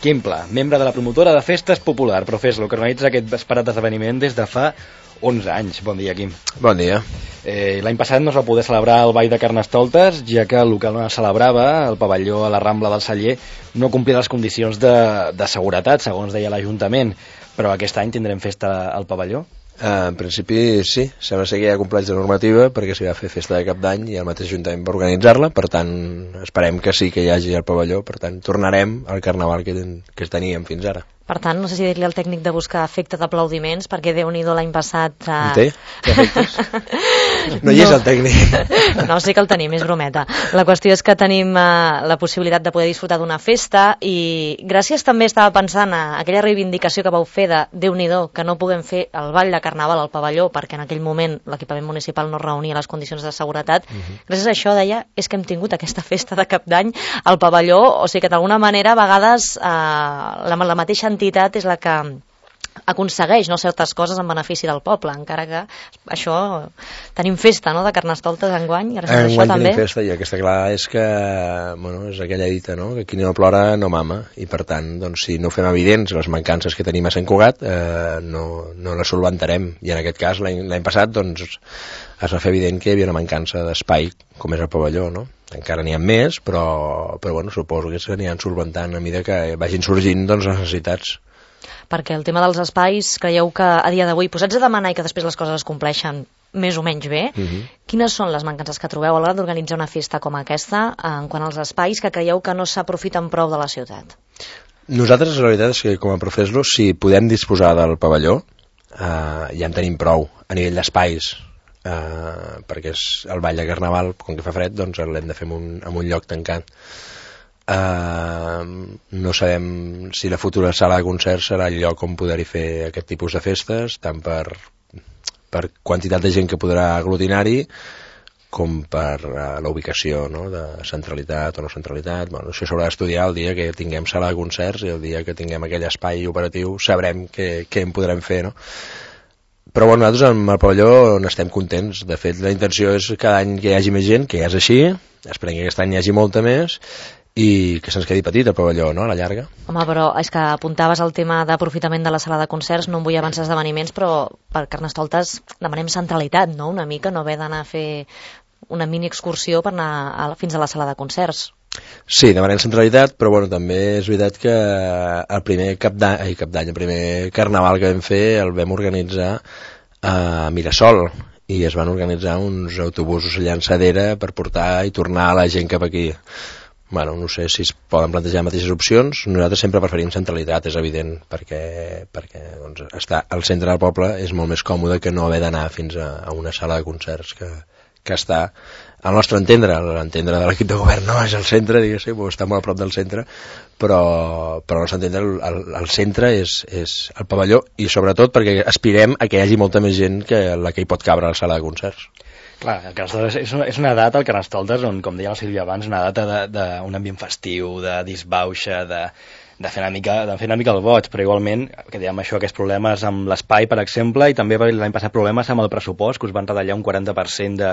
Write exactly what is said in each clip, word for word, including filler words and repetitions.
Quim Pla, membre de la promotora de Festes Popular, Profeslo, que organitza aquest esperat esdeveniment des de fa onze anys. Bon dia, Quim. Bon dia. Eh, L'any passat no es va poder celebrar el Ball de Carnestoltes, ja que el local on es celebrava, el pavelló a la Rambla del Celler, no complia les condicions de, de seguretat, segons deia l'Ajuntament. Però aquest any tindrem festa al pavelló? Uh, en principi sí, sembla ser que hi ha compleix de normativa perquè s'hi va fer festa de cap d'any i el mateix Ajuntament va organitzar-la, per tant esperem que sí que hi hagi el pavelló, per tant tornarem al carnaval que, ten, que teníem fins ara. Per tant, no sé si dir-li al tècnic de buscar efecte d'aplaudiments, perquè Déu-n'hi-do l'any passat... Eh... En té? Té efectes? No hi és no. El tècnic. No, sí que el tenim, és brometa. La qüestió és que tenim eh, la possibilitat de poder disfrutar d'una festa i gràcies també estava pensant a aquella reivindicació que vau fer de Déu-n'hi-do, que no puguem fer el ball de carnaval al pavelló perquè en aquell moment l'equipament municipal no reunia les condicions de seguretat. Uh-huh. Gràcies a això, deia, és que hem tingut aquesta festa de cap d'any al pavelló, o sigui que d'alguna manera a vegades eh, la, la mateixa entitat és la que aconsegueix, no, certes coses en benefici del poble, encara que això tenim festa, no?, de Carnestoltes enguany, gràcies a això també. Enguany tenim festa i el que està clar és que, bueno, és aquella dita, no?, que qui no plora no mama, i per tant, doncs, si no fem evidents les mancances que tenim a Sant Cugat, eh, no, no les solventarem, i en aquest cas l'any passat, doncs, es va fer evident que hi havia una mancança d'espai, com és el pavelló, no? Encara n'hi ha més, però, però bueno, suposo que s'aniran solventant a mesura que vagin sorgint, doncs, les necessitats. Perquè el tema dels espais, creieu que a dia d'avui, posats a demanar i que després les coses es compleixen més o menys bé, uh-huh. Quines són les mancances que trobeu a l'hora d'organitzar una festa com aquesta en quant als espais que creieu que no s'aprofiten prou de la ciutat? Nosaltres, la veritat és que com a Profeslo, si podem disposar del pavelló, eh, ja en tenim prou a nivell d'espais, eh, perquè és el ball de carnaval, com que fa fred, doncs l'hem de fer en un, en un lloc tancat. Uh, no sabem si la futura sala de concerts serà el lloc on poder-hi fer aquest tipus de festes, tant per, per quantitat de gent que podrà aglutinar-hi com per uh, la ubicació, no?, de centralitat o no centralitat. Bueno, això s'haurà d'estudiar el dia que tinguem sala de concerts i el dia que tinguem aquell espai operatiu sabrem què, què en podrem fer, no? Però bueno, nosaltres amb el pavelló n'estem contents. De fet, la intenció és cada any que hi hagi més gent, que ja és així, esperem que aquest any hi hagi molta més i que se'ns quedi petit el pavelló, no?, a la llarga. Home, però és que apuntaves el tema d'aprofitament de la sala de concerts, no em vull avançar esdeveniments, però per Carnestoltes demanem centralitat, no?, una mica, no haver d'anar a fer una mini excursió per anar a, fins a la sala de concerts. Sí, demanem centralitat, però bueno, també és veritat que el primer cap d'any, cap d'any, el primer carnaval que vam fer el vam organitzar a Mirasol, i es van organitzar uns autobusos llançadera per portar i tornar la gent cap aquí. Bueno, no sé si es poden plantejar mateixes opcions. Nosaltres sempre preferim centralitat, és evident, perquè, perquè doncs, estar al centre del poble és molt més còmode que no haver d'anar fins a, a una sala de concerts que, que està al nostre entendre, l'entendre de l'equip de govern no és al centre, diguéssim, està molt a prop del centre, però, però al nostre entendre el, el, el centre és, és el pavelló, i sobretot perquè aspirem a que hi hagi molta més gent que la que hi pot cabre a la sala de concerts. Clar, el Carnestoltes és una, és una data, el Carnestoltes, on, com deia la Sílvia abans, una data d'un ambient festiu, de disbauxa, de, de, fer una mica, de fer una mica el boig, però igualment, que dèiem això, aquests problemes amb l'espai, per exemple, i també l'any passat problemes amb el pressupost, que us van retallar un quaranta per cent de,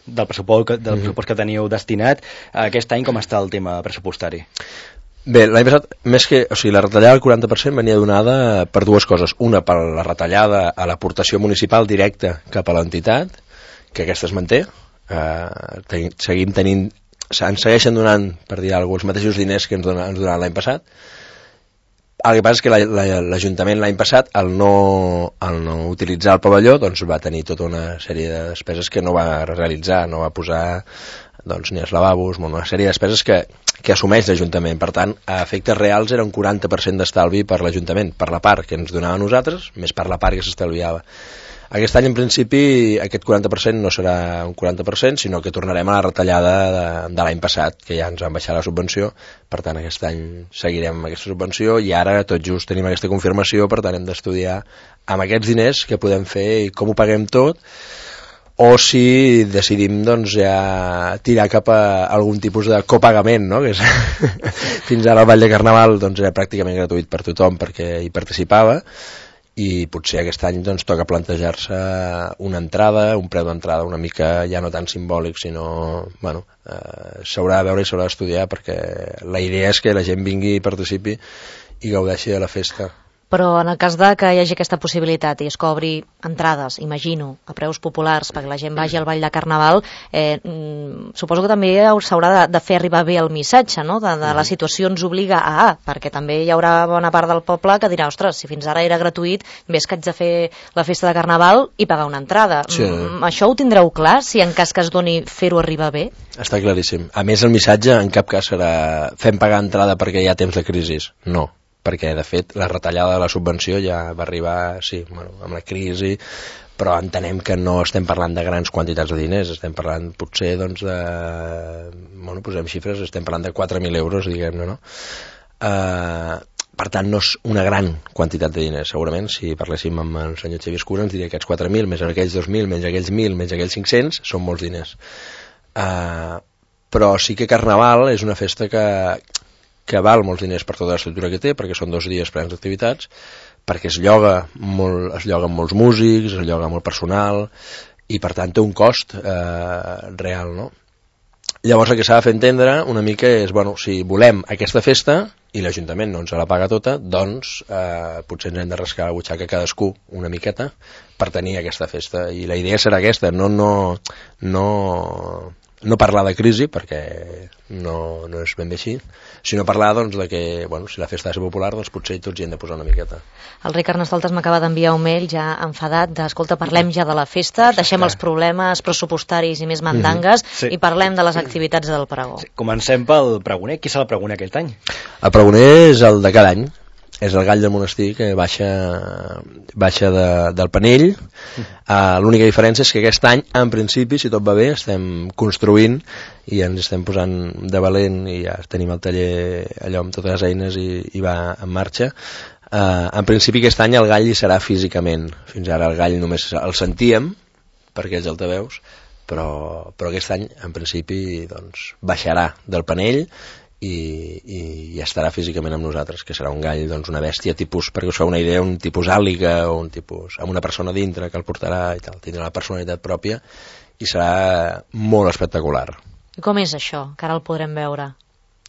del, pressupost, del mm-hmm. pressupost que teníeu destinat. Aquest any com està el tema pressupostari? Bé, l'any passat, més que, o sigui, la retallada del quaranta per cent venia donada per dues coses. Una, per la retallada a l'aportació municipal directa cap a l'entitat, que aquesta es manté, eh, ten, seguim tenint, ens segueixen donant, per dir alguna cosa, els mateixos diners que ens, dona, ens donaven l'any passat. El que passa és que l'Ajuntament l'any passat, al no, al no utilitzar el pavelló, doncs va tenir tota una sèrie de despeses que no va realitzar, no va posar doncs, ni els lavabos, una sèrie de despeses que, que assumeix l'Ajuntament. Per tant, a efectes reals era un quaranta per cent d'estalvi per l'Ajuntament, per la part que ens donava a nosaltres, més per la part que s'estalviava. Aquest any, en principi, aquest quaranta per cent no serà un quaranta per cent, sinó que tornarem a la retallada de, de l'any passat, que ja ens van baixar la subvenció. Per tant, aquest any seguirem amb aquesta subvenció i ara tot just tenim aquesta confirmació, per tant hem d'estudiar amb aquests diners què podem fer i com ho paguem tot, o si decidim doncs, ja tirar cap a algun tipus de copagament, no? Que és fins ara el Ball de Carnaval doncs, era pràcticament gratuït per tothom perquè hi participava, i potser aquest any doncs, toca plantejar-se una entrada, un preu d'entrada una mica ja no tan simbòlic, sinó bueno, eh, s'haurà de veure i s'haurà d'estudiar, perquè la idea és que la gent vingui i participi i gaudeixi de la festa. Però en el cas de que hi hagi aquesta possibilitat i es cobri entrades, imagino, a preus populars perquè la gent vagi al ball de Carnaval, eh, mm, suposo que també s'haurà de, de fer arribar bé el missatge, no? de, de la situació ens obliga a, a, perquè també hi haurà bona part del poble que dirà, ostres, si fins ara era gratuït, ves que haig de fer la festa de Carnaval i pagar una entrada. Sí. Mm, això ho tindreu clar, si en cas que es doni fer-ho arribar bé? Està claríssim. A més, el missatge en cap cas serà fem pagar entrada perquè hi ha temps de crisi. No, perquè de fet la retallada de la subvenció ja va arribar, sí, bueno, amb la crisi, però entenem que no estem parlant de grans quantitats de diners, estem parlant potser doncs de, bueno, posem xifres, estem parlant de quatre mil euros, diguem-ne, no? Uh, per tant, no és una gran quantitat de diners, segurament, si parléssim amb el senyor Xavier Escura ens diria que aquests quatre mil, més aquells dos mil, menys aquells mil, menys aquells cinc-cents, són molts diners. Uh, però sí que Carnaval és una festa que que val molts diners per tota l'estructura que té, perquè són dos dies plens d'activitats, perquè es lloga molt, es lloguen molts músics, es lloga molt personal, i per tant té un cost eh, real, no? Llavors el que s'ha de fer entendre una mica és, bueno, si volem aquesta festa i l'Ajuntament no ens la paga tota, doncs eh, potser ens hem de rascar la butxaca cadascú una miqueta per tenir aquesta festa, i la idea serà aquesta, no, no, no, no parlar de crisi, perquè no, no és ben bé així, sinó parlar doncs, de que, bueno, si la festa és popular, doncs potser tots hi hem de posar una miqueta. El Rei Carnestoltes m'acaba d'enviar un mail ja enfadat de, escolta, parlem ja de la festa, deixem els problemes pressupostaris i més mandangues, mm-hmm. sí. i parlem de les activitats del pregó. Sí. Comencem pel pregoner. Qui serà el pregoner aquest any? El pregoner és el de cada any, és el gall del monestir que baixa, baixa de, del Penell. Uh, l'única diferència és que aquest any, en principi, si tot va bé, estem construint i ens estem posant de valent i ja tenim el taller allò amb totes les eines i, i va en marxa. Uh, en principi aquest any el gall hi serà físicament. Fins ara el gall només el sentíem per aquells altaveus, però, però aquest any, en principi, doncs, baixarà del Penell i, i, i estarà físicament amb nosaltres, que serà un gall, doncs, una bèstia tipus, perquè us feu una idea, un tipus àliga o un tipus, amb una persona dintre que el portarà i tal, tindrà la personalitat pròpia i serà molt espectacular. I com és això, que ara el podrem veure?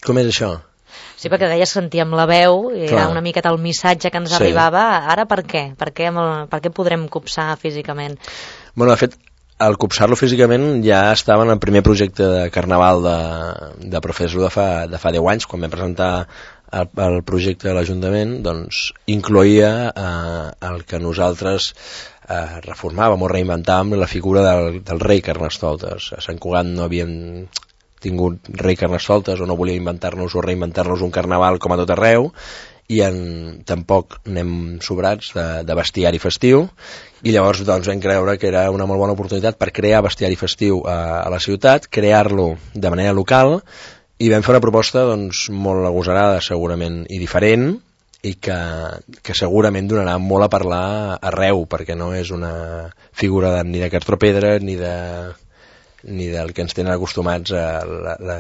Com és això? Sí, perquè deies que sentíem la veu, i Clar. era una miqueta el missatge que ens sí. arribava, ara per què? Per què, el, per què podrem copsar físicament? Bueno, de fet, al copsar-lo físicament ja estava en el primer projecte de Carnaval de, de Professor de fa, de fa deu anys, quan vam presentar el, el projecte de l'Ajuntament, doncs incloïa eh, el que nosaltres eh, reformàvem o reinventàvem la figura del, del rei Carnestoltes. A Sant Cugat no havíem tingut rei Carnestoltes o no volia inventar-nos o reinventar-nos un carnaval com a tot arreu, i en, tampoc anem sobrats de, de bestiari festiu, i llavors doncs, vam creure que era una molt bona oportunitat per crear bestiari festiu a, a la ciutat, crear-lo de manera local, i vam fer una proposta doncs, molt agosarada segurament i diferent, i que, que segurament donarà molt a parlar arreu, perquè no és una figura de, ni de Cartropedra ni, de, ni del que ens tenen acostumats a la, la,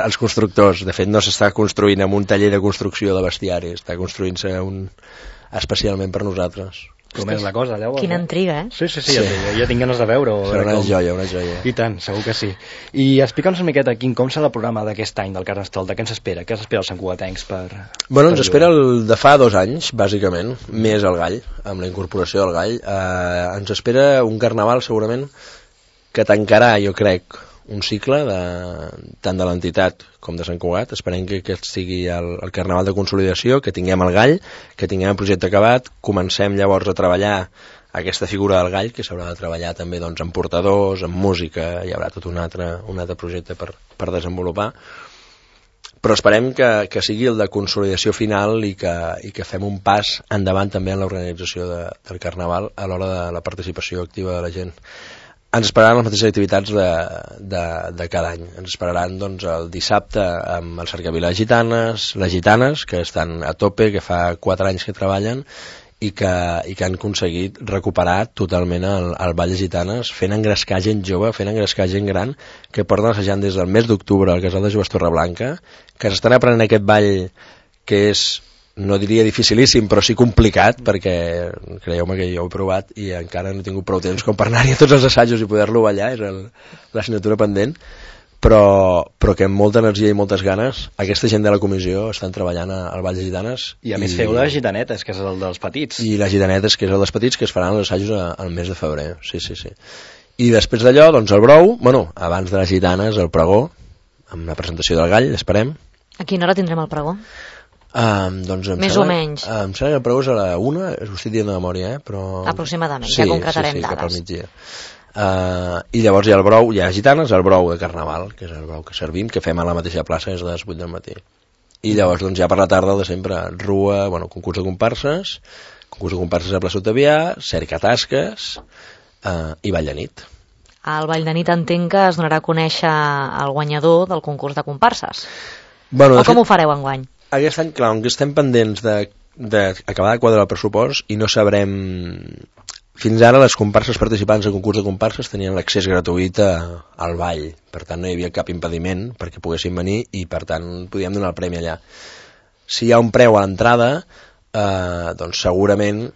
els constructors. De fet, no s'està construint amb un taller de construcció de bestiari, està construint-se un... especialment per nosaltres. Com és la cosa, llavors? Quina intriga, eh? Sí, sí, sí, sí. Ja, ja tinc ganes de veure-ho. Serà una com... joia, una joia. I tant, segur que sí. I explica'ns una miqueta, Quim, com serà el programa d'aquest any del Carnestoltes? Què ens espera? Què s'espera els santcugatencs per... Bueno, per ens espera el de fa dos anys, bàsicament, més el gall, amb la incorporació del gall. Eh, ens espera un carnaval, segurament, que tancarà, jo crec, un cicle de, tant de l'entitat com de Sant Cugat. Esperem que aquest sigui el, el carnaval de consolidació, que tinguem el gall, que tinguem el projecte acabat, comencem llavors a treballar aquesta figura del gall, que s'haurà de treballar també doncs, amb portadors, amb música, hi haurà tot un altre, un altre projecte per, per desenvolupar, però esperem que, que sigui el de consolidació final i que, i que fem un pas endavant també en l'organització de, del carnaval a l'hora de la participació activa de la gent. Ens esperaran les mateixes activitats de, de, de cada any. Ens esperaran doncs, el dissabte amb el Cercavila de Gitanes, les gitanes, que estan a tope, que fa quatre anys que treballen i que, i que han aconseguit recuperar totalment el, el ball de gitanes, fent engrescar gent jove, fent engrescar gent gran, que porten assajant des del mes d'octubre al Casal de Joves Torreblanca, que s'estan aprenent aquest ball que és, no diria dificilíssim, però sí complicat, perquè creieu-me que jo ho he provat i encara no he tingut prou temps com per anar-hi a tots els assajos i poder-lo ballar, és el, l'assignatura pendent, però, però que amb molta energia i moltes ganes aquesta gent de la comissió estan treballant al Ball de Gitanes. I a més i... feu les gitanetes, que és el dels petits. I les gitanetes, que és el dels petits, que es faran els assajos al mes de febrer. Sí, sí, sí. I després d'allò, doncs el brou, bueno, abans de les gitanes, el pregó, amb la presentació del gall, esperem. A quina hora tindrem el pregó? Um, doncs Més sembla, o menys. Em sembla que el pregó és a la una, ho estic dient de memòria, eh? Però... aproximadament, sí, ja concretarem sí, sí, dades. Cap al migdia. Uh, I llavors hi ha el brou, hi ha gitanes, el brou de carnaval, que és el brou que servim, que fem a la mateixa plaça des de les vuit del matí. I llavors doncs ja per la tarda, de sempre, rua, bueno, concurs de comparses, concurs de comparses a Plaça Otavià, cerca tasques uh, i ball de nit. Al ball de nit entenc que es donarà a conèixer el guanyador del concurs de comparses. Bueno, o com fet, ho fareu enguany? Aquest any, clar, que estem pendents d'acabar de, de quadrar el pressupost i no sabrem... Fins ara les comparses participants en concurs de comparses tenien l'accés gratuït a, al ball, per tant no hi havia cap impediment perquè poguessin venir i per tant podíem donar el premi allà. Si hi ha un preu a l'entrada, eh, doncs segurament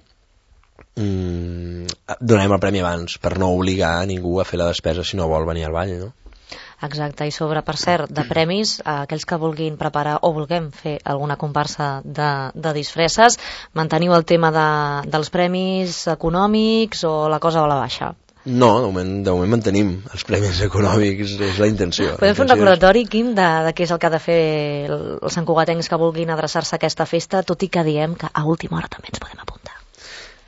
mm, donarem el premi abans per no obligar a ningú a fer la despesa si no vol venir al ball, no? Exacte, i sobre, per cert, de premis, aquells que vulguin preparar o vulguem fer alguna comparsa de, de disfresses, manteniu el tema de, dels premis econòmics o la cosa va a la baixa? No, de moment, de moment mantenim els premis econòmics, és la intenció. Podem fer un recordatori, Quim, de, de què és el que ha de fer els santcugatencs que vulguin adreçar-se a aquesta festa, tot i que diem que a última hora també ens podem apuntar.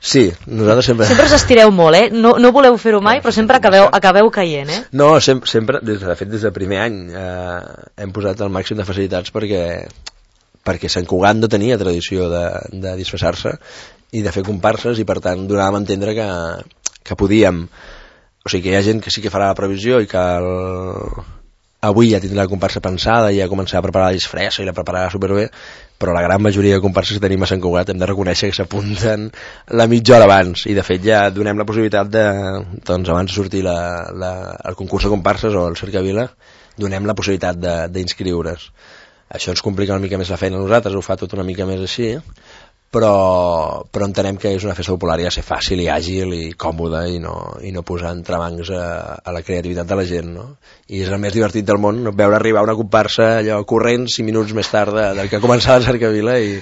Sí, nosaltres sempre... Sempre us estireu molt, eh? No, no voleu fer-ho mai, però sempre acabeu, acabeu caient, eh? No, sempre, sempre des, de fet, des del primer any eh, hem posat el màxim de facilitats perquè, perquè Sant Cugat no tenia tradició de, de disfressar-se i de fer comparses i, per tant, donàvem a entendre que, que podíem... O sigui, que hi ha gent que sí que farà la previsió i que el... avui ja tindrà la comparsa pensada i ja començarà a preparar la disfressa i la prepararà superbé, però la gran majoria de comparses que tenim a Sant Cugat hem de reconèixer que s'apunten la mitja hora abans i de fet ja donem la possibilitat de, doncs abans de sortir la, la, el concurs de comparses o el Cercavila, donem la possibilitat d'inscriure's. Això ens complica una mica més la feina a nosaltres, ho fa tot una mica més així, però, però entenem que és una festa popular i ha de ser fàcil i àgil i còmoda i no, i no posar entrebancs a, a la creativitat de la gent, no? I és el més divertit del món veure arribar una comparsa allò corrent cinc minuts més tard de, del que ha començat la Cercavila i,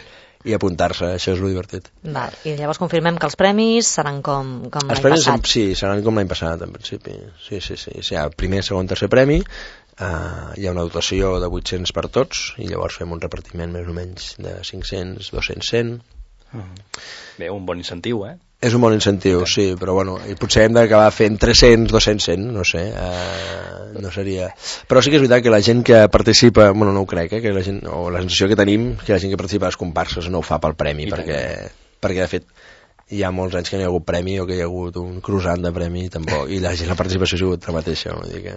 i apuntar-se, això és lo divertit. Val. I llavors confirmem que els premis seran com, com l'any passat. Sí, seran com l'any passat en principi, sí, sí, sí. O sigui, primer, segon, tercer premi, uh, hi ha una dotació de vuit-cents per tots i llavors fem un repartiment més o menys de cinc-cents, dos-cents, cent. Bé, un bon incentiu, eh? És un bon incentiu, sí, però bueno, i potser hem d'acabar fent tres-cents, dos-cents, cent, no sé, eh, no seria... Però sí que és veritat que la gent que participa, bueno, no ho crec, eh, que la gent, o la sensació que tenim, que la gent que participa a les comparses no ho fa pel premi, perquè, perquè de fet hi ha molts anys que no hi ha hagut premi o que hi ha hagut un croissant de premi tampoc, i la gent, la participació ha sigut la mateixa, vull dir que...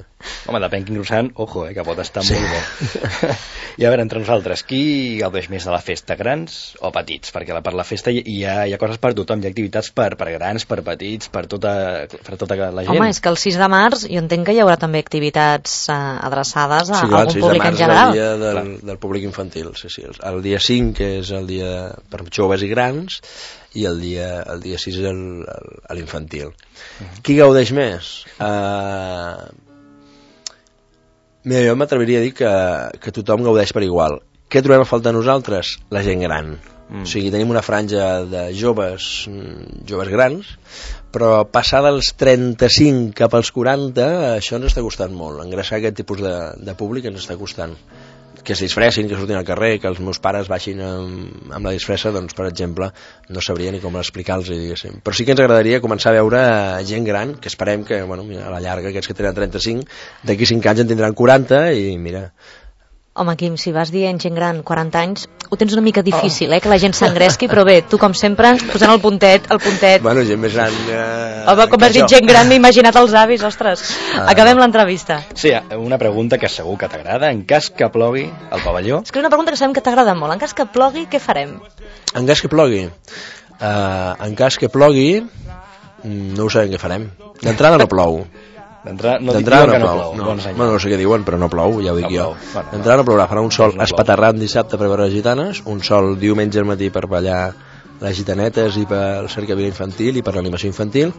Home, depèn quin croissant, ojo, eh, que pot estar sí. molt bo. I a veure, entre nosaltres, qui gaudeix més de la festa, grans o petits? Perquè la, per la festa hi ha, hi ha coses per tothom, hi ha activitats per, per grans, per petits, per tota, per tota la gent. Home, és que el sis de març jo entenc que hi haurà també activitats eh, adreçades a sí, clar, algun públic en general. Sí, el dia del, del públic infantil, sí, sí. El dia cinc, que és el dia per joves i grans, i el dia, el dia sis és l'infantil. Uh-huh. Qui gaudeix més? Uh, mira, jo m'atreviria a dir que, que tothom gaudeix per igual. Què trobem a faltar nosaltres? La gent gran. Mm. O sigui, tenim una franja de joves, joves grans, però passar dels trenta-cinc cap als quaranta, això ens està costant molt. Engreixar aquest tipus de, de públic ens està costant. Que es disfressin, que surtin al carrer, que els meus pares baixin amb, amb la disfressa, doncs, per exemple, no sabria ni com explicar-los, diguéssim. Però sí que ens agradaria començar a veure gent gran, que esperem que, bueno, mira, a la llarga, aquests que tenen trenta-cinc, d'aquí cinc anys en tindran quaranta, i mira... Home, Quim, si vas dient gent gran, quaranta anys, ho tens una mica difícil, eh, que la gent s'engresqui, però bé, tu com sempre, posant el puntet, el puntet... Bueno, gent més gran... Eh, Home, com has dit gent gran, m'he imaginat els avis, ostres. Ah, acabem l'entrevista. Sí, una pregunta que segur que t'agrada. En cas que plogui al pavelló... És que és una pregunta que sabem que t'agrada molt. En cas que plogui, què farem? En cas que plogui? Uh, en cas que plogui, no ho sabem què farem. D'entrada no plou. D'entrada no, no plou. Que no plou. No. Bueno, no sé què diuen, però no plou, ja ho dic no jo. Bueno, d'entrada no plourà, farà un sol no espaterrant dissabte per veure les gitanes, un sol diumenge al matí per ballar les gitanetes i per la cercavila infantil i per l'animació infantil,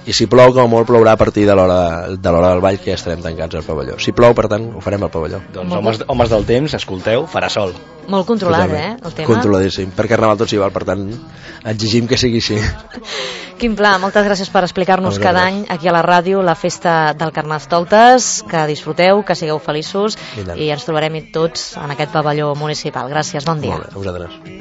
i si plou, com molt plourà a partir de l'hora de l'hora del ball, que ja estarem tancats al pavelló. Si plou, per tant, ho farem al pavelló. Doncs homes, homes del temps, escolteu, farà sol. Molt controlat, eh, el tema. Controladíssim. Per Carnaval tot s'hi val, per tant, exigim que sigui així. Quim Pla, moltes gràcies per explicar-nos cada any aquí a la ràdio la festa del Carnestoltes, que disfruteu, que sigueu feliços i, i ens trobarem tots en aquest pavelló municipal. Gràcies, bon dia. Molt bé, a vosaltres.